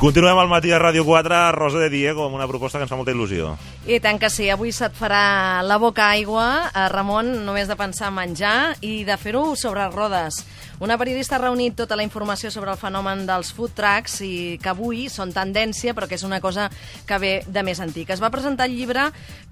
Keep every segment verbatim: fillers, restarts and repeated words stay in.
Continuem al matí a Ràdio quatre, Rosa de Diego, amb una proposta que ens fa molta il·lusió. I tant que sí, avui se't farà la boca aigua, a Ramon, només de pensar en menjar i de fer-ho sobre rodes. Una periodista ha reunit tota la informació sobre el fenomen dels food trucks i que avui són tendència, però que és una cosa que ve de més antic. Es va presentar el llibre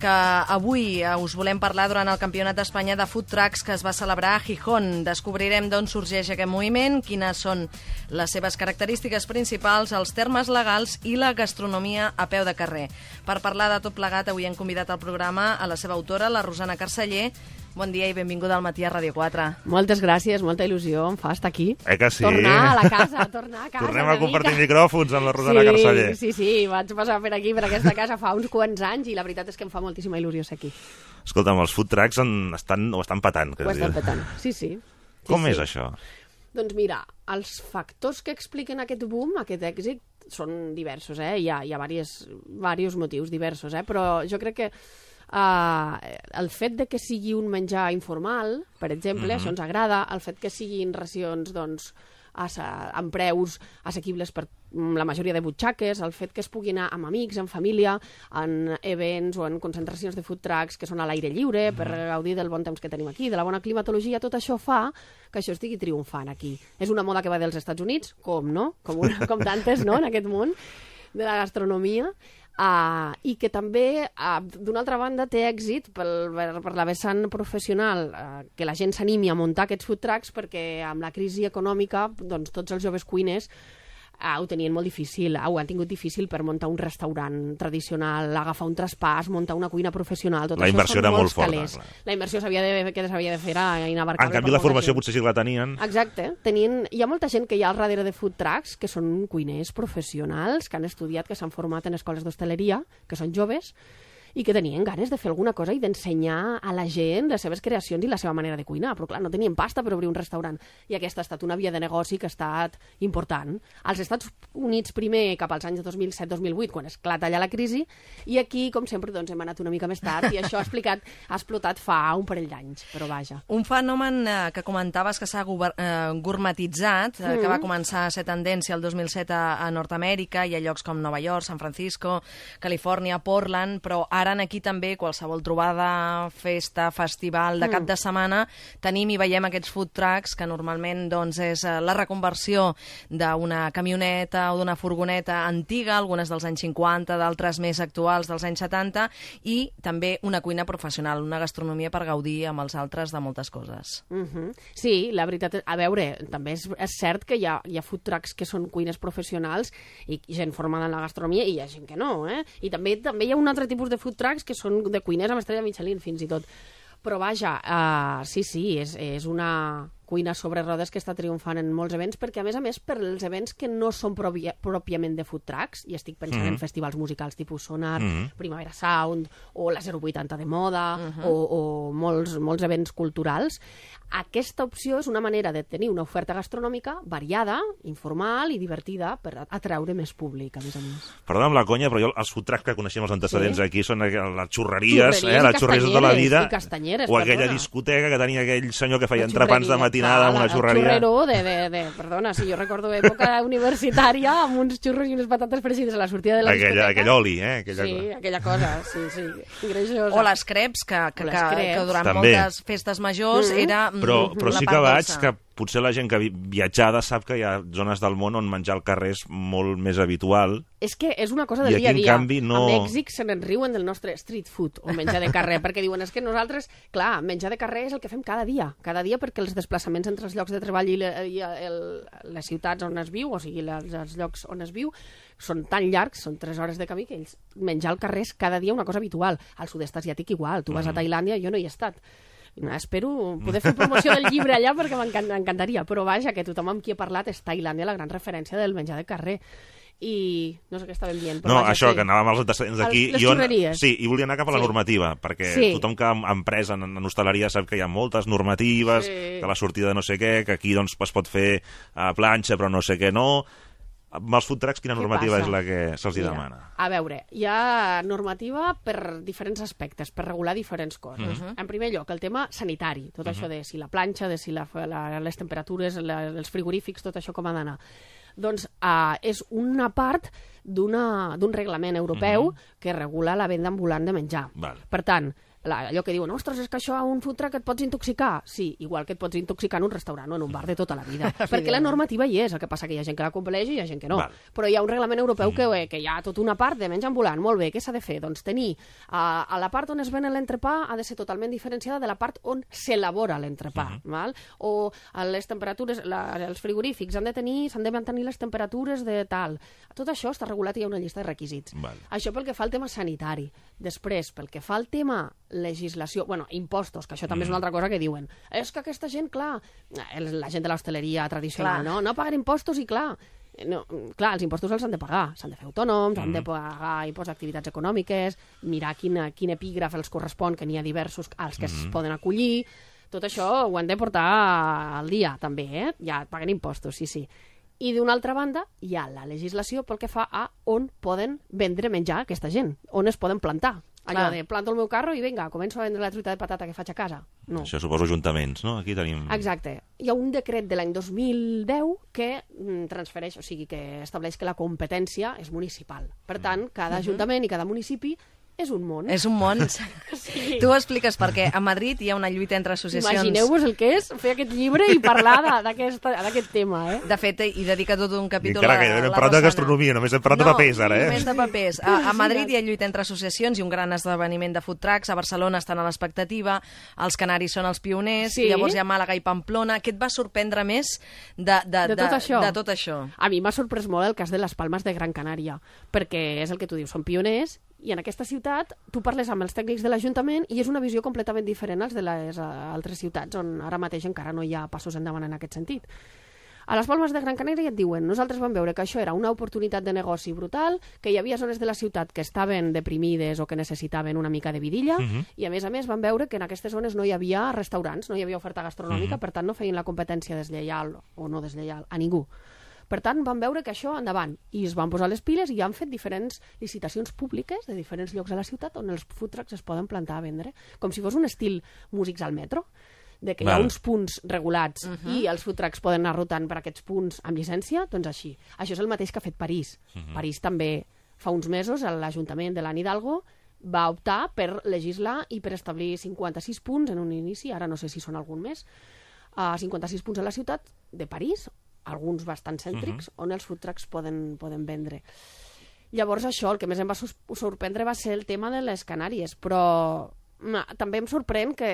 que avui us volem parlar durant el Campionat d'Espanya de Food Trucks que es va celebrar a Gijón. Descobrirem d'on sorgeix aquest moviment, quines són les seves característiques principals, els termes legals i la gastronomia a peu de carrer. Per parlar de tot plegat, avui hem convidat al programa a la seva autora, la Rosana Carceller. Bon dia i benvinguda al matí a Ràdio quatre. Moltes gràcies, molta il·lusió, em fa estar aquí. Eh que sí? Tornar a la casa, tornar a casa. Tornem a compartir micròfons amb la Rosana sí, Carceller. Sí, sí, vaig passar per aquí, per aquesta casa, fa uns quants anys i la veritat és que em fa moltíssima il·lusió ser aquí. Escolta'm, els food trucks en, estan, ho estan patant. Ho estan patant, sí, sí. sí Com sí. és això? Doncs mira, els factors que expliquen aquest boom, aquest èxit, són diversos, eh? Hi ha, hi ha diversos, diversos motius diversos, eh? Però jo crec que Uh, el fet de que sigui un menjar informal, per exemple, mm-hmm. això ens agrada, el fet que siguin racions doncs, amb preus assequibles per la majoria de butxaques, el fet que es pugui anar amb amics, en família, en events o en concentracions de food trucks que són a l'aire lliure, mm-hmm. per gaudir del bon temps que tenim aquí, de la bona climatologia, tot això fa que això estigui triomfant aquí. És una moda que va dels Estats Units, com, no? Com, una, com tantes, no?, en aquest món de la gastronomia. Uh, i que també, uh, d'una altra banda, té èxit pel, per, per la vessant professional, uh, que la gent s'animi a muntar aquests food trucks perquè amb la crisi econòmica doncs, tots els joves cuiners uh, ho tenien molt difícil, uh, ho han tingut difícil per muntar un restaurant tradicional, agafar un traspàs, muntar una cuina professional, tot la això inversió són era molts molt forta, calés. clar. La inversió s'havia de, que s'havia de fer era inabarcable. En canvi, la formació potser sí que la tenien. Exacte. Tenien, hi ha molta gent que hi ha al darrere de food trucks que són cuiners professionals, que han estudiat, que s'han format en escoles d'hostaleria, que són joves, i que tenien ganes de fer alguna cosa i d'ensenyar a la gent les seves creacions i la seva manera de cuinar. Però, clar, no tenien pasta per obrir un restaurant. I aquesta ha estat una via de negoci que ha estat important. Als Estats Units primer, cap als anys dos mil set dos mil vuit, quan esclata allà la crisi, i aquí, com sempre, doncs, hem anat una mica més tard i això ha, explicat, ha explotat fa un parell d'anys, però vaja. Un fenomen eh, que comentaves que s'ha eh, gourmetitzat, eh, mm. que va començar a ser tendència el dos mil set a, a Nord-Amèrica i a llocs com Nova York, San Francisco, Califòrnia, Portland, però ara aquí també qualsevol trobada, festa, festival de cap de setmana tenim i veiem aquests food trucks que normalment doncs, és la reconversió d'una camioneta o d'una furgoneta antiga, algunes dels anys cinquanta, d'altres més actuals dels anys setanta, i també una cuina professional, una gastronomia per gaudir amb els altres de moltes coses. Uh-huh. Sí, la veritat, a veure, també és, és cert que hi ha, hi ha food trucks que són cuines professionals i gent formada en la gastronomia i hi ha gent que no, eh? I també, també hi ha un altre tipus de food trucks que són de cuiners amb estrella Michelin, fins i tot. Però vaja, uh, sí, sí, és, és una cuina sobre rodes que està triomfant en molts events, perquè a més a més per els events que no són pròpia, pròpiament de food trucks, i estic pensant mm-hmm. en festivals musicals tipus Sonar, mm-hmm. Primavera Sound, o la zero vuitanta de moda, mm-hmm. o, o molts, molts events culturals, aquesta opció és una manera de tenir una oferta gastronòmica variada, informal i divertida per atraure més públic, a més a més. Perdona amb la conya, però jo els food trucks que coneixem els antecedents sí. aquí són les xurreries, xurreries eh, les xurreries de tota la vida, o aquella perdona. discoteca que tenia aquell senyor que feia entrepans de matinada amb una xurreria. El xurrero de, de, de, perdona, si jo recordo època universitària amb uns xurros i unes patates fregides a la sortida de la aquella, discoteca. aquell oli, eh? Aquella sí, cosa. aquella cosa, sí, sí, greixosa. O les creps, que, que, les que, creps. que durant També. moltes festes majors mm-hmm. era però, però sí que vaig dolça. que potser la gent que viatjada sap que hi ha zones del món on menjar al carrer és molt més habitual. És que és una cosa del I dia a dia. Canvi, no... A Mèxic se n'en riuen del nostre street food o menjar de carrer, perquè diuen és que nosaltres, clar, menjar de carrer és el que fem cada dia, cada dia perquè els desplaçaments entre els llocs de treball i, le, i el, les ciutats on es viu, o sigui, les, els llocs on es viu, són tan llargs, són tres hores de camí, que ells menjar al carrer és cada dia una cosa habitual. Al sud-est asiàtic igual, tu vas a Tailàndia, jo no hi he estat. Espero poder fer promoció del llibre allà perquè m'encantaria, però vaja, que tothom amb qui he parlat és Tailàndia la gran referència del menjar de carrer. I no sé què estàvem dient. Però no, vaja, això, sí. que anàvem als antecedents d'aquí. Les jo, xurreries. Sí, i volia anar cap a la sí. normativa, perquè sí. tothom que ha emprès en, en hostaleria sap que hi ha moltes normatives, sí. que la sortida de no sé què, que aquí doncs, es pot fer a planxa però no sé què no. Amb els food trucks, quina normativa és la que se'ls demana? A veure, hi ha normativa per diferents aspectes, per regular diferents coses. Uh-huh. En primer lloc, el tema sanitari, tot uh-huh. això de si la planxa, de si la, la, les temperatures, la, els frigorífics, tot això com ha d'anar. Doncs uh, és una part d'un reglament europeu mm-hmm. que regula la venda ambulant de menjar. Val. Per tant, la, allò que diuen, ostres, és que això a un food truck et pots intoxicar. Sí, igual que et pots intoxicar en un restaurant o en un bar de tota la vida. Perquè la normativa hi és, el que passa que hi ha gent que la compleix i hi ha gent que no. Val. Però hi ha un reglament europeu que, que hi ha tota una part de menjar ambulant. Molt bé, què s'ha de fer? Doncs tenir a, a la part on es ven l'entrepà ha de ser totalment diferenciada de la part on s'elabora l'entrepà. Uh-huh. Val? O les temperatures, la, els frigorífics han de tenir, s'han de mantenir les temperatures de tal. Tot això està regulat i hi ha una llista de requisits. Val. Això pel que fa al tema sanitari. Després, pel que fa al tema legislació, bueno, impostos, que això també mm. és una altra cosa que diuen. És que aquesta gent, clar, la gent de l'hostaleria tradicional, clar. no? No paguen impostos i, clar, no, clar, els impostos els han de pagar. S'han de fer autònoms, mm. han de pagar impost d'activitats econòmiques, mirar quina, quin epígraf els correspon, que n'hi ha diversos als que mm. es poden acollir. Tot això ho han de portar al dia, també, eh? Ja paguen impostos, sí, sí. I d'una altra banda, hi ha la legislació pel que fa a on poden vendre menjar aquesta gent, on es poden plantar. Allò Clar. de planto el meu carro i vinga, començo a vendre la truita de patata que faig a casa. No. Això suposo ajuntaments, no? Aquí tenim... Exacte. Hi ha un decret de l'any dos mil deu que transfereix, o sigui, que estableix que la competència és municipal. Per tant, cada mm. ajuntament i cada municipi és un món. És un món. Sí. Tu ho expliques perquè a Madrid hi ha una lluita entre associacions... Imagineu-vos el que és fer aquest llibre i parlar d'aquest tema, eh? De fet, hi dedica tot un capítol a la façana. Hem parlat de gastronomia, només hem parlat no, de papers, ara, eh? No, només de papers. A, a Madrid hi ha lluita entre associacions i un gran esdeveniment de food trucks. A Barcelona estan a l'expectativa, els canaris són els pioners, sí. llavors hi ha Màlaga i Pamplona. Què et va sorprendre més de, de, de, tot, de, això. de tot això? A mi m'ha sorprès molt el cas de les Palmes de Gran Canària, perquè és el que tu dius, són pioners. I en aquesta ciutat tu parles amb els tècnics de l'Ajuntament i és una visió completament diferent als de les altres ciutats on ara mateix encara no hi ha passos endavant en aquest sentit. A les Palmes de Gran Canària et diuen, nosaltres vam veure que això era una oportunitat de negoci brutal, que hi havia zones de la ciutat que estaven deprimides o que necessitaven una mica de vidilla, uh-huh. i a més a més van veure que en aquestes zones no hi havia restaurants, no hi havia oferta gastronòmica, uh-huh. per tant no feien la competència deslleial o no deslleial a ningú. Per tant, van veure que això endavant i es van posar les piles i han fet diferents licitacions públiques de diferents llocs a la ciutat on els food trucks es poden plantar a vendre, com si fos un estil músics al metro, de que Val. hi ha uns punts regulats uh-huh. i els food trucks poden anar rotant per aquests punts amb llicència, doncs així. Això és el mateix que ha fet París. Uh-huh. París també, fa uns mesos, l'Ajuntament de l'Anne Hidalgo va optar per legislar i per establir cinquanta-sis punts en un inici, ara no sé si són algun més, uh, cinquanta-sis punts a la ciutat de París, alguns bastant cèntrics, uh-huh. on els food trucks poden, poden vendre. Llavors això, el que més em va sorprendre va ser el tema de les Canàries, però ma, també em sorprèn que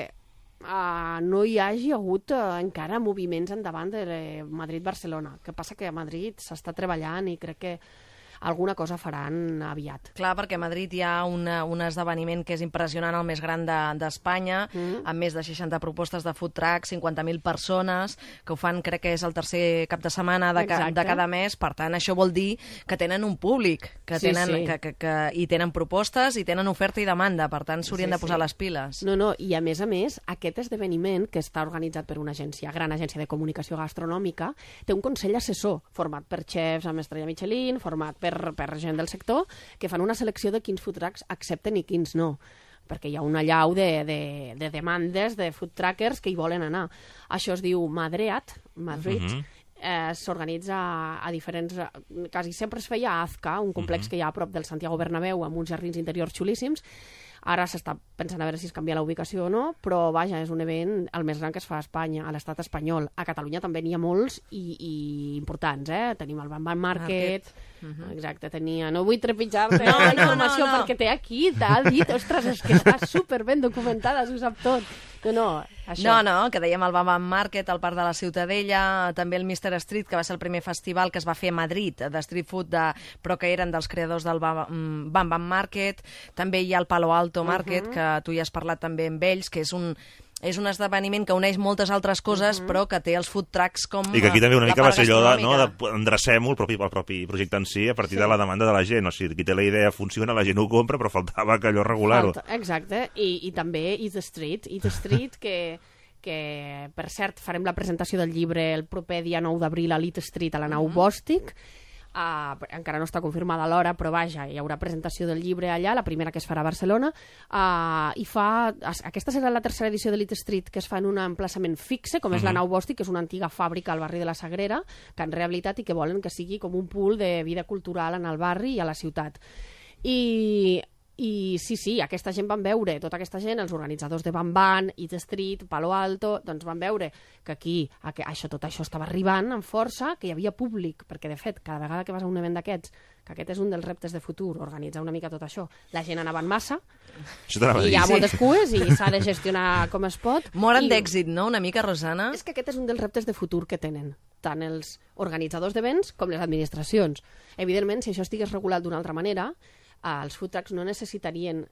uh, no hi hagi hagut uh, encara moviments endavant de Madrid-Barcelona. Que passa que a Madrid s'està treballant i crec que alguna cosa faran aviat. Clar, perquè a Madrid hi ha una, un esdeveniment que és impressionant, el més gran d'Espanya, de, mm. amb més de seixanta propostes de food trucks, cinquanta mil persones, que ho fan, crec que és el tercer cap de setmana de, ca, de cada mes. Per tant, això vol dir que tenen un públic, que sí, tenen, sí. Que, que, que, i tenen propostes, i tenen oferta i demanda. Per tant, s'haurien sí, de posar sí. les piles. No, no, i a més a més, aquest esdeveniment, que està organitzat per una agència, gran agència de comunicació gastronòmica, té un consell assessor, format per xefs amb estrella Michelin, format per Per, per gent del sector, que fan una selecció de quins food trucks accepten i quins no, perquè hi ha una allau de, de, de demandes de food truckers que hi volen anar. Això es diu Madreat, Madrid, uh-huh. eh, s'organitza a diferents... Quasi sempre es feia a Azca, un complex uh-huh. que hi ha a prop del Santiago Bernabéu, amb uns jardins interiors xulíssims. Ara s'està pensant a veure si es canvia la ubicació o no, però vaja, és un event el més gran que es fa a Espanya, a l'estat espanyol. A Catalunya també n'hi ha molts i, i importants, eh? Tenim el Bam Bam Market, uh-huh. exacte, tenia... No vull trepitjar-te no, la informació no, no, no. perquè té aquí, t'ha dit, ostres, és que està superben documentada, s'ho sap tot. No, no, això. No, no, que dèiem el Bam Bam Market, el Parc de la Ciutadella, també el mister Street, que va ser el primer festival que es va fer a Madrid, de street food, de, però que eren dels creadors del Bam Bam, Bam Market. També hi ha el Palo Alto Market, uh-huh. que tu ja has parlat també amb ells, que és un... és un esdeveniment que uneix moltes altres coses, uh-huh. però que té els food trucks com I que aquí també una mica va ser allò de, no, de endrecem-ho, el propi, el propi projecte en si, a partir sí. de la demanda de la gent. O sigui, qui té la idea funciona, la gent ho compra, però faltava que allò regular-ho. Falta, exacte, I, i també Eat the Street, Eat the Street que, que, per cert, farem la presentació del llibre el proper dia nou d'abril a l'Eat Street, a la nau uh-huh. Bòstic. Uh, encara no està confirmada l'hora, però vaja, hi haurà presentació del llibre allà, la primera que es farà a Barcelona, uh, i fa... Aquesta serà la tercera edició de Lit Street, que es fa en un emplaçament fixe, com és uh-huh. la Nau Bòstic, que és una antiga fàbrica al barri de la Sagrera, que han rehabilitat i que volen que sigui com un pool de vida cultural en el barri i a la ciutat. I... I sí, sí, aquesta gent van veure, tota aquesta gent, els organitzadors de Van Van, Eat Street, Palo Alto, doncs van veure que aquí que això, tot això estava arribant amb força, que hi havia públic, perquè de fet, cada vegada que vas a un event d'aquests, que aquest és un dels reptes de futur, organitzar una mica tot això, la gent anava en massa, i hi ha moltes cues i s'ha de gestionar com es pot. Moren I... d'èxit, no?, una mica, Rosana? És que aquest és un dels reptes de futur que tenen, tant els organitzadors d'events com les administracions. Evidentment, si això estigués regulat d'una altra manera, els food trucks no necessitarien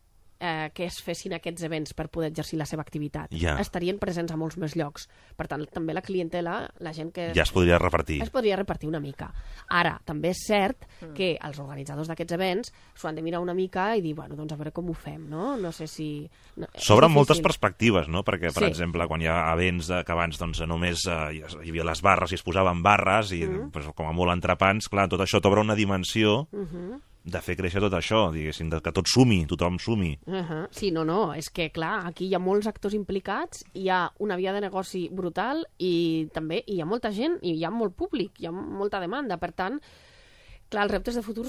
eh, que es fessin aquests events per poder exercir la seva activitat. Ja. Estarien presents a molts més llocs. Per tant, també la clientela, la gent que... Ja es podria repartir. Es podria repartir una mica. Ara, també és cert que els organitzadors d'aquests events s'ho han de mirar una mica i dir, bueno, doncs a veure com ho fem, no? No sé si... No, S'obren moltes perspectives, no? Perquè, per sí. exemple, quan hi ha events de, que abans doncs, només eh, hi havia les barres i es posaven barres i mm. pues, com a molt entrepans, clar, tot això t'obre una dimensió mm-hmm. de fer créixer tot això, diguéssim, de que tot sumi, tothom sumi. Uh-huh. Sí, no, no, és que, clar, aquí hi ha molts actors implicats, hi ha una via de negoci brutal i també hi ha molta gent i hi ha molt públic, hi ha molta demanda, per tant, clar, els reptes de futur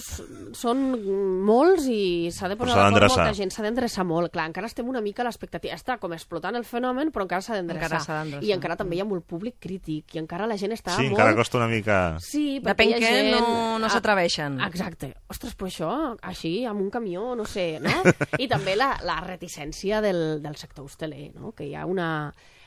són molts i s'ha de posar d'acord molta gent, s'ha d'endreçar molt. Clar, encara estem una mica a l'expectativa. Està com explotant el fenomen, però encara s'ha d'endreçar. I encara també hi ha molt públic crític, i encara la gent està sí, molt... Sí, encara costa una mica... Sí, depèn hi ha que gent... no, no s'atreveixen. Exacte. Ostres, però això, així, amb un camió, no sé, no? I també la, la reticència del, del sector hosteler, no? Que hi ha una...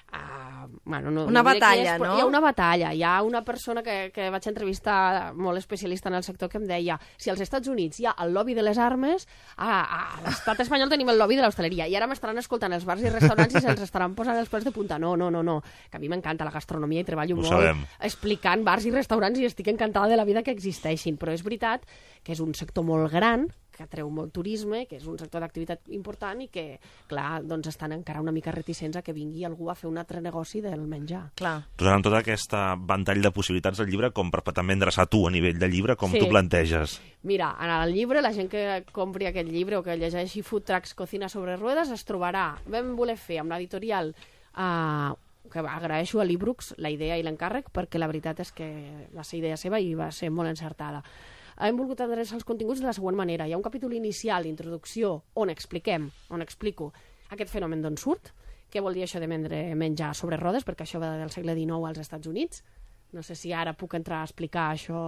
Uh, bueno, no, una no batalla, és, no? Hi ha una batalla. Hi ha una persona que, que vaig entrevistar molt especialista en el sector que em deia si als Estats Units hi ha el lobby de les armes, a, a l'estat espanyol tenim el lobby de l'hostaleria i ara m'estaran escoltant els bars i restaurants i se'ls estaran posant els plats de punta. No, no, no, no. Que a mi m'encanta la gastronomia i treballo Ho molt sabem. explicant bars i restaurants i estic encantada de la vida que existeixin, però és veritat que és un sector molt gran, que atreu molt turisme, que és un sector d'activitat important i que, clar, doncs estan encara una mica reticents a que vingui algú a fer un altre negoci del menjar. Clar. Doncs amb tot aquest ventall de possibilitats del llibre, com per també endreçar tu a nivell de llibre, com sí. tu planteges? Mira, en el llibre, la gent que compri aquest llibre o que llegeixi Food Trucks Cocina sobre Ruedas es trobarà, vam voler fer amb l'editorial eh, que agraeixo a l'Ibrux la idea i l'encàrrec, perquè la veritat és que va ser idea seva i va ser molt encertada. Hem volgut adreçar els continguts de la següent manera. Hi ha un capítol inicial d'introducció on expliquem, on explico aquest fenomen d'on surt, què vol dir això de vendre menjar sobre rodes, perquè això va del segle dinou als Estats Units. No sé si ara puc entrar a explicar això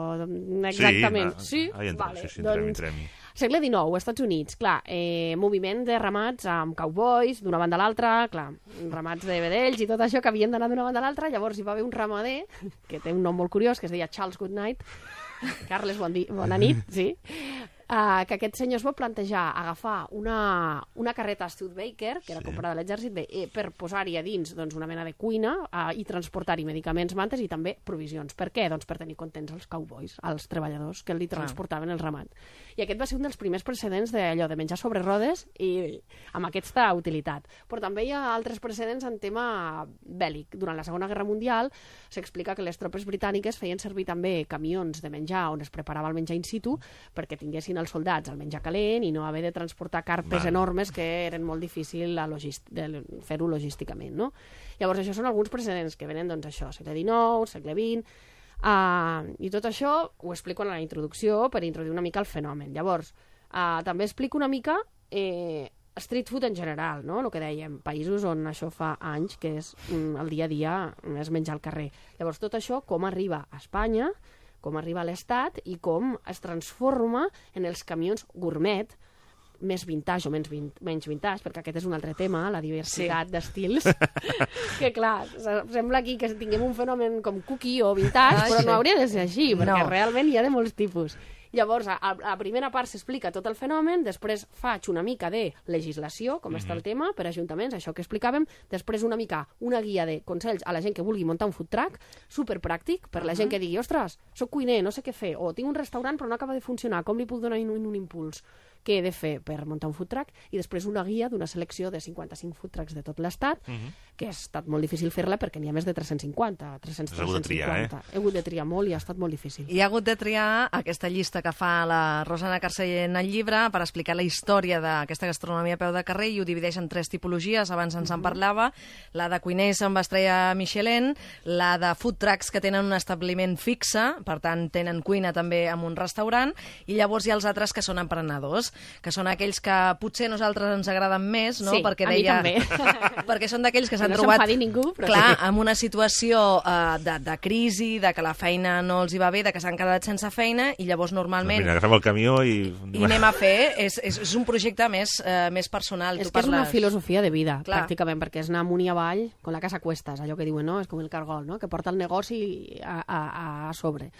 exactament. Sí, sí? sí? Vale. sí, sí doncs, entrem, entrem. Segle dinou, Estats Units, clar, eh, moviment de ramats amb cowboys d'una banda a l'altra, clar, ramats de vedells i tot això que havien d'anar d'una banda a l'altra, llavors hi va haver un ramader, que té un nom molt curiós, que es deia Charles Goodnight, Carles, bon di, bona nit, sí, uh, que aquest senyor es va plantejar agafar una, una carreta Studebaker, que era sí. comprada a l'exèrcit, eh, per posar-hi a dins doncs, una mena de cuina uh, i transportar-hi medicaments, mantes i també provisions. Per què? Doncs per tenir contents els cowboys, els treballadors que li transportaven el ramat. I aquest va ser un dels primers precedents d'allò de menjar sobre rodes i amb aquesta utilitat. Però també hi ha altres precedents en tema bèl·lic. Durant la Segona Guerra Mundial s'explica que les tropes britàniques feien servir també camions de menjar on es preparava el menjar in situ perquè tinguessin els soldats el menjar calent i no haver de transportar carpes Val. enormes que eren molt difícil de fer-ho logísticament, no? Llavors, això són alguns precedents que venen, doncs, això, segle dinou, segle vint... Uh, i tot això ho explico en la introducció per introduir una mica el fenomen. Llavors, uh, també explico una mica eh, street food en general, no? El que dèiem, països on això fa anys que és mm, el dia a dia és menjar al carrer. Llavors, tot això com arriba a Espanya, com arriba a l'Estat i com es transforma en els camions gourmet, més vintage o menys, vin menys vintage, perquè aquest és un altre tema, la diversitat sí. d'estils, que clar, sembla aquí que tinguem un fenomen com cookie o vintage, ah, però sí. no hauria de ser així, perquè no. realment hi ha de molts tipus. Llavors, a, a la primera part s'explica tot el fenomen, després faig una mica de legislació, com mm-hmm. està el tema, per ajuntaments, això que explicàvem, després una mica una guia de consells a la gent que vulgui muntar un food truck, superpràctic, per la uh-huh. gent que digui, ostres, soc cuiner, no sé què fer, o tinc un restaurant però no acaba de funcionar, com li puc donar un, un impuls? què he de fer per muntar un food truck, i després una guia d'una selecció de cinquanta-cinc food trucks de tot l'estat, uh -huh. que ha estat molt difícil fer-la perquè n'hi ha més de tres-cents cinquanta. tres-cents, Has hagut de triar, eh? He hagut de triar molt i ha estat molt difícil. I ha hagut de triar aquesta llista que fa la Rosana Carceller en el llibre per explicar la història d'aquesta gastronomia a peu de carrer, i ho divideix en tres tipologies, abans ens en parlava, la de cuiners amb estrella Michelin, la de food trucks que tenen un establiment fixe, per tant tenen cuina també en un restaurant, i llavors hi ha els altres que són emprenedors, que són aquells que potser a nosaltres ens agraden més, no? Sí, perquè a mi deia... també. perquè són d'aquells que s'han no trobat s'enfadi ningú, però clar, sí. amb una situació uh, de, de crisi, de que la feina no els hi va bé, de que s'han quedat sense feina, i llavors normalment... Mira, agafem el camió i... I anem a fer, és, és, és un projecte més, uh, més personal. És tu que és una parles... filosofia de vida, Clar. pràcticament, perquè és anar amunt i avall, con la casa a cuestas, allò que diuen, no? És com el cargol, no? Que porta el negoci a, a, a sobre.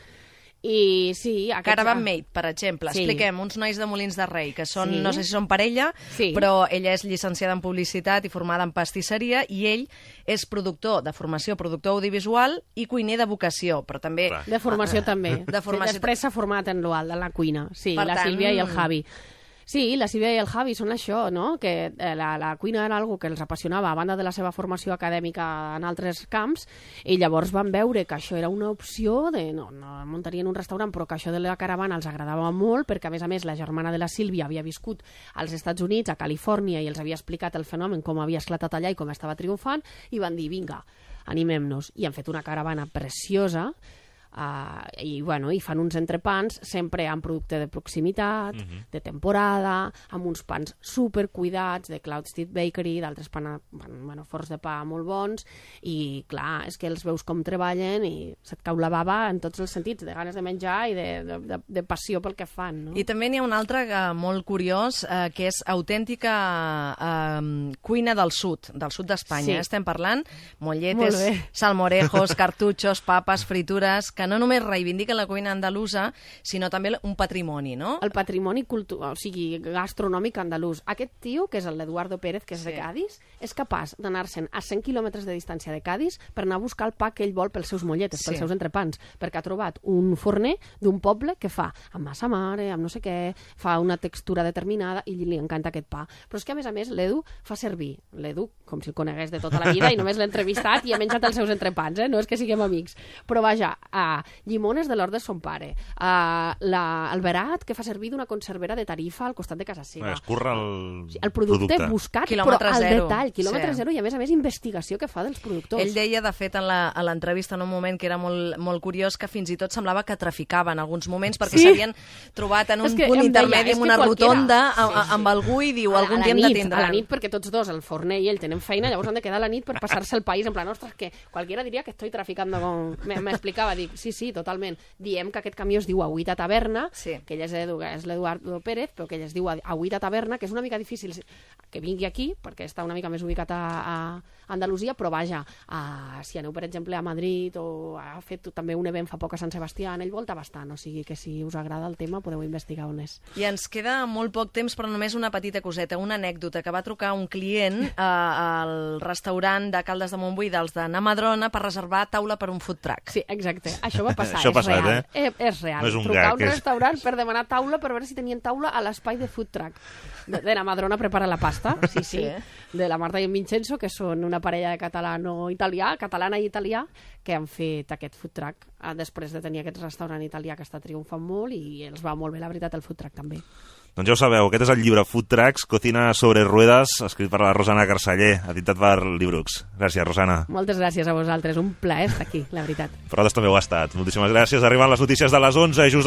I sí... Aquests... Caravan Mate, per exemple. Sí. Expliquem, uns nois de Molins de Rei, que són, Sí. no sé si són parella, Sí. però ella és llicenciada en publicitat i formada en pastisseria, i ell és productor de formació, productor audiovisual i cuiner de vocació, però també... Clar. De formació també. De formació. Després s'ha format en l'Ual, en la cuina. Sí, Per la tant- Sílvia i el Javi. Sí, la Sílvia i el Javi són això, no? Que eh, la, la cuina era algo que els apassionava a banda de la seva formació acadèmica en altres camps, i llavors van veure que això era una opció de, no, no muntarien un restaurant, però que això de la caravana els agradava molt, perquè a més a més la germana de la Sílvia havia viscut als Estats Units, a Califòrnia, i els havia explicat el fenomen, com havia esclatat allà i com estava triomfant, i van dir, vinga, animem-nos. I han fet una caravana preciosa, Uh, i, bueno, i fan uns entrepans sempre amb producte de proximitat, uh-huh. de temporada, amb uns pans supercuidats de Cloud Street Bakery, d'altres pan, bueno, forns de pa molt bons, i clar, és que els veus com treballen i se't cau la bava en tots els sentits, de ganes de menjar i de, de, de, de passió pel que fan, no? I també n'hi ha un altre uh, molt curiós, uh, que és autèntica uh, cuina del sud, del sud d'Espanya. Sí. Estem parlant Molt molletes, bé. salmorejos, cartutxos, papes, fritures, que no només reivindiquen la cuina andalusa, sinó també un patrimoni, no? El patrimoni cultural, o sigui, gastronòmic andalús. Aquest tio, que és el Eduardo Pérez, que és Sí. de Cádiz, és capaç d'anar-se'n a cent quilòmetres de distància de Cádiz per anar a buscar el pa que ell vol pels seus molletes, Sí. pels seus entrepans, perquè ha trobat un forner d'un poble que fa amb massa mare, amb no sé què, fa una textura determinada i li encanta aquest pa. Però és que, a més a més, l'Edu fa servir, l'Edu, com si el conegués de tota la vida i només l'he entrevistat i he menjat els seus entrepans, eh? No és que siguem amics. Però vaja, a llimones de l'hort de son pare, a la, el verat que fa servir d'una conservera de Tarifa al costat de casa seva. Es curra el, Sí, el producte, producte. buscat, Quilòmetre però al zero. detall, quilòmetre Sí. zero, i a més a més investigació que fa dels productors. Ell deia, de fet, en la- a l'entrevista en un moment que era molt, molt curiós, que fins i tot semblava que traficava en alguns moments, perquè Sí. s'havien trobat en un És que punt em deia, intermedi és amb que una qualquiera- rotonda Sí, a- a- sí. amb algú i diu, A la- algun a la dia em nit, detindran. A la nit, perquè tots dos, el forner i ell, tenen feina, llavors han de quedar a la nit per passar-se el país, en plan, ostres, que qualquiera diria que estoy traficando con... Me- M'explicava, dic, sí, sí, totalment. Diem que aquest camió es diu Agüita Taverna, Sí. que ell és Edu- és l'Eduardo Pérez, però que ell es diu Agüita Taverna, que és una mica difícil que vingui aquí, perquè està una mica més ubicat a, a Andalusia, però vaja, a, si aneu, per exemple, a Madrid, o ha fet també un event fa poc a Sant Sebastià, ell volta bastant, o sigui que si us agrada el tema podeu investigar on és. I ens queda molt poc temps, però només una petita coseta, una anècdota, que va trucar un client eh, al restaurant de Caldes de Montbui dels de Namadrona per reservar taula per un food truck. Sí, exacte. Això va passar, Això ha és passat, real. eh? Eh, és real. No és un Trucar gag, a un és- restaurant per demanar taula per veure si tenien taula a l'espai de food truck. De, de la Madrona prepara la pasta, sí, sí, Sí. de la Marta i en Vincenzo, que són una parella de catalano-italià, catalana i italià, que han fet aquest food truck eh, després de tenir aquest restaurant italià que està triomfant molt, i els va molt bé, la veritat, el food truck també. Doncs ja ho sabeu, aquest és el llibre Food Trucks, Cocina sobre ruedas, escrit per la Rosana Carceller, editat per Librux. Gràcies, Rosana. Moltes gràcies a vosaltres, un plaer estar aquí, la veritat. Per nosaltres també ho ha estat. Moltíssimes gràcies. Arriben les notícies de les onze, just després